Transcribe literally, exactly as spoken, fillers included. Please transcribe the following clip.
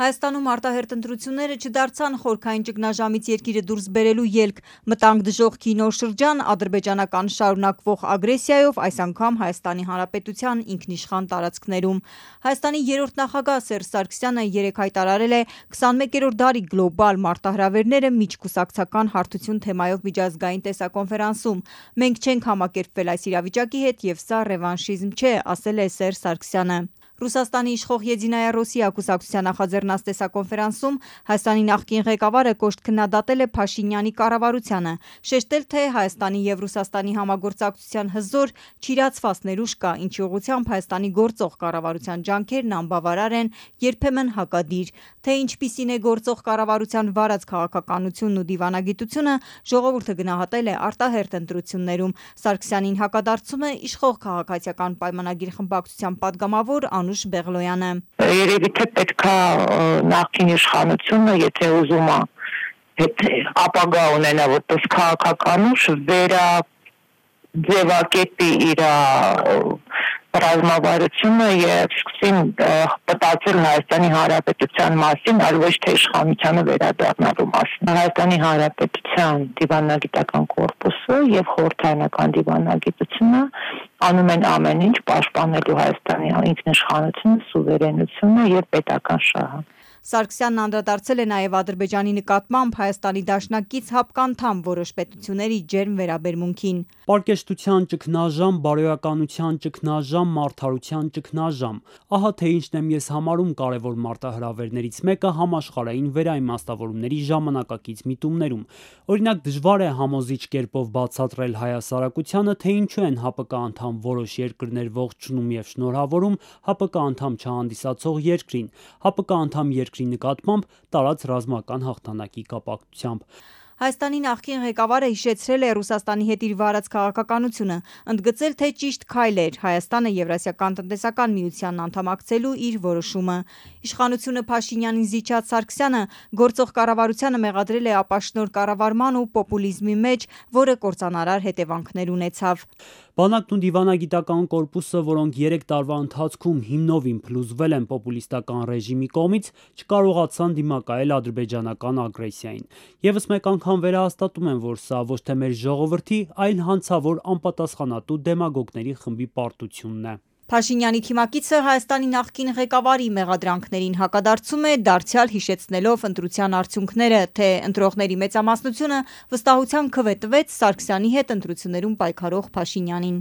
Հայաստանում արտահերթ ընտրությունները չդարձան խորքային ճգնաժամից երկիրը դուրս բերելու ելք, մտանք դժոխքի նոր շրջան ադրբեջանական շարունակվող ագրեսիայով, այս անգամ Հայաստանի Հանրապետության ինքնիշխան տարածքներում։ Հայաստանի երրորդ նախագահ Սերժ Սարգսյանը երեկ հայտարարել է քսանմեկերորդ դարի գլոբալ մարտահրավերները միջկուսակցական հարթություն թեմայով միջազգային տեսակոնֆերանսում։ Մենք չենք համակերպվել այս իրավիճակի հետ և սա ռևանշիզմ չէ, ասել է Սերժ Սարգսյանը։ Ռուսաստանի իշխող Եդինայա Ռոսիա կուսակցության նախաձեռնած տեսակոնֆերանսում Հայաստանի նախկին ղեկավարը կոշտ քննադատել է Փաշինյանի կառավարությանը, շեշտել, թե Հայաստանի և Ռուսաստանի համագործակցության հզոր, չիրացված ներուժ կա, ինչի ուղղությամբ Հայաստանի գործող կառավարության ջանքերն անբավարար են, երբեմն հակադիր։ Թե ինչպիսին է գործող կառավարության վարած քաղաքականությունն ու դիվանագիտությունը, ժողովուրդը գնահատել է արտահերթ ընտրություններում։ Սարգսյանին հակադարձում է իշխող քաղաքացիական պայմանագիր խմբակցության падգամավոր Անուշ Բեղլոյանը։ Երևի թե պետքա նախկին իշխանությունը, եթե ուզում է հետ ապագա ունենա որպես քաղաքականուշ, վերա ձևակերպի իր ռազմավարությունը եւ սկսին մտածել Հայաստանի Հանրապետության մասին, այլ ոչ թե իշխանությանը վերադառնալու մասին։ Հայաստանի Հանրապետության դիվանագիտական կորպուսը եւ խորհրդարանական դիվանագիտությունը անում են ամեն ինչ պաշտպանելու Հայաստանի ինքնիշխանությունը, սուվերենությունը եւ պետական շահը։ Սարգսյանն անդրադարձել է նաև Ադրբեջանի նկատմամբ Հայաստանի դաշնակից հապկանդամ որոշ պետությունների ջերմ վերաբերմունքին։ Պարկեշտության ճգնաժամ, բարոյականության ճգնաժամ, մարդարության ճգնաժամ։ Ահա թե ինչն եմ ես համարում կարևոր մարտահրավերներից մեկը համաշխարհային վերաիմաստավորումների ժամանակակից միտումներում։ Օրինակ, դժվար է համոզիչ կերպով բացատրել հայասարակությանը, թե ինչու են ՀԱՊԿ անդամ որոշ երկրներ ողջունում եւ շնորհավորում ՀԱՊԿ անդամ չհանդիսացող երկրին, ՀԱՊԿ անդամ երկրի նկատմամբ տարած ռազմական հաղթանակի կապակցությամբ։ Հայաստանի նախկին ղեկավարը հիշեցրել է Ռուսաստանի հետ իր վարած քաղաքականությունը, ընդգծել, թե ճիշտ քայլ էր Հայաստանը Եվրասիական տնտեսական միությանն անդամակցելու իր որոշումը։ Իշխանությունը Փաշինյանին զիջած Սարգսյանը գործող կառավարությանը մեղադրել է ապաշնոր կառավարման ու պոպուլիզմի մեջ, որը կործանարար հետևանքներ ունեցավ։ Բանակն ու դիվանագիտական կորպուսը, որոնք երեք տարվա ընթացքում հիմնովին փլուզվել են պոպուլիստական ռեժիմի կողմից, չկարողացան դիմակայել ադրբեջանական ագրեսիային։ Եվս մեկ անգամ վերահաստատում են, որ սա ոչ թե մեր ժողովրդի, այլ հանցավոր անպատասխանատու դեմագոգների խմբի պարտությունն է։ Փաշինյանի թիմակիցը Հայաստանի նախկին ղեկավարի մեղադրանքներին հակադարձում է, դարձյալ հիշեցնելով ընտրության արդյունքները, թե ընտրողների մեծամասնությունը վստահության քվե տվեց Սարգսյանի հետ ընտրություններում պայքարող Փաշինյանին։